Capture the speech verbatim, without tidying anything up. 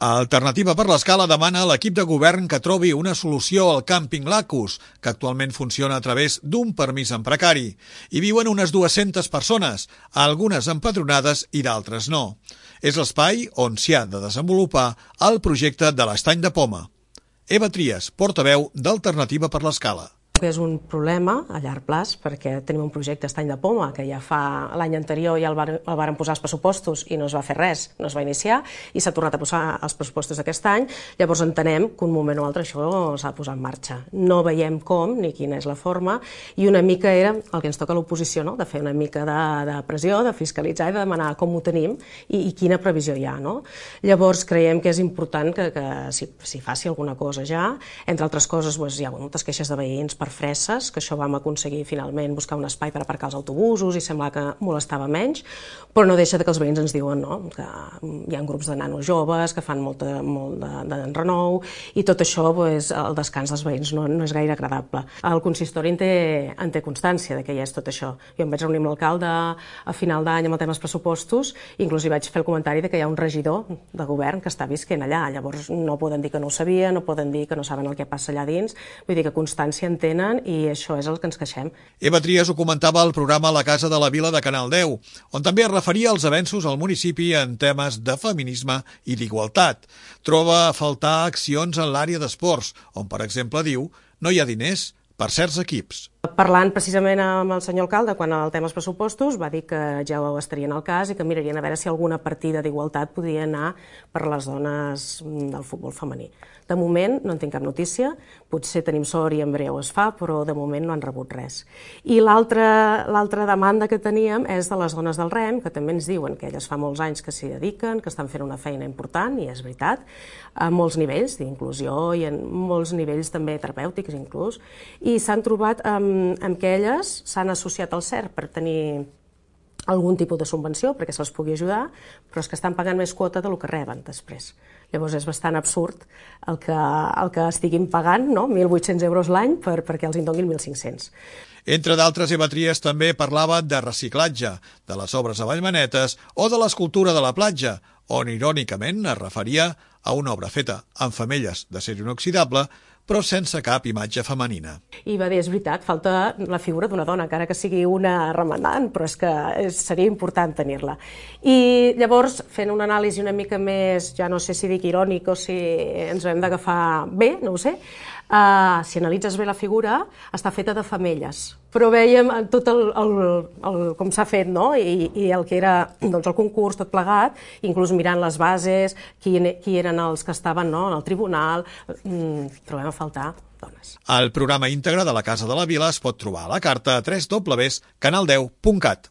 Alternativa per l'Escala demana a l'equip de govern que trobi una solució al càmping Lacus, que actualment funciona a través d'un permís en precari. Hi viuen unes dues-centes persones, algunes empadronades i d'altres no. És l'espai on s'hi ha de desenvolupar el projecte de l'Estany de Poma. Eva Trias, portaveu d'Alternativa per l'Escala. És un problema a llarg plaç perquè tenim un projecte Estany de Poma que ja fa l'any anterior ja el, var, el varen posar els pressupostos i no es va fer res, no es va iniciar i s'ha tornat a posar els pressupostos d'aquest any. Llavors entenem que un moment o altre això s'ha de posar en marxa. No veiem com ni quina és la forma i una mica era el que ens toca a l'oposició, no? De fer una mica de, de pressió, de fiscalitzar i de demanar com ho tenim i, i quina previsió hi ha. No? Llavors creiem que és important que, que s'hi si faci alguna cosa ja. Entre altres coses doncs, hi ha moltes queixes de veïns per fresses, que això vam aconseguir finalment buscar un espai per aparcar els autobusos i sembla que molestava menys, però no deixa que els veïns ens diuen no? Que hi ha grups de nanos joves que fan molt de, molt de, de renou i tot això, pues, el descans dels veïns no, no és gaire agradable. El consistori en té, en té constància de que hi és tot això. Jo em vaig reunir amb l'alcalde a final d'any amb el tema dels pressupostos i inclús hi vaig fer el comentari de que hi ha un regidor de govern que està visquent allà, llavors no poden dir que no ho sabia, no poden dir que no saben el que passa allà dins, vull dir que constància en tenen i això és el que ens queixem. Eva Trias ho comentava al programa La Casa de la Vila de Canal deu, on també es referia als avenços al municipi en temes de feminisme i d'igualtat. Troba a faltar accions en l'àrea d'esports, on, per exemple, diu, no hi ha diners per certs equips. Parlant precisament amb el senyor alcalde, quan el tema dels pressupostos, va dir que ja ho estarien al cas i que mirarien a veure si alguna partida d'igualtat podria anar per les dones del futbol femení. De moment no en tinc cap notícia, potser tenim sort i en breu es fa, però de moment no han rebut res. I l'altra l'altra demanda que teníem és de les dones del rem, que també ens diuen que elles fa molts anys que s'hi dediquen, que estan fent una feina important, i és veritat, a molts nivells d'inclusió i en molts nivells també terapèutics inclús, i s'han trobat amb, amb que elles s'han associat al C E R per tenir algun tipus de subvenció perquè se'ls pugui ajudar, però és que estan pagant més quota del que reben després. Llavors és bastant absurd el que, el que estiguin pagant, no? mil vuit-cents euros l'any per, perquè els en donin mil cinc-cents. Entre d'altres, Eva Trias també parlava de reciclatge, de les obres a Vallmanetes o de l'escultura de la platja, on irònicament es referia a una obra feta amb femelles d'acer inoxidable, però sense cap imatge femenina. I va dir, és veritat, falta la figura d'una dona, encara que sigui una remenant, però és que seria important tenir-la. I llavors, fent una anàlisi una mica més, ja no sé si dic irònic o si ens hem d'agafar bé, no ho sé, uh, si analitzes bé la figura, està feta de femelles. Però vèiem tot el, el, el, com s'ha fet, no? I, i el que era doncs, el concurs, tot plegat, inclús mirant les bases, qui, qui eren els que estaven no? en el tribunal, mm, trobem a faltar dones. El programa íntegre de la Casa de la Vila es pot trobar a la carta a w w w punt canal deu punt cat.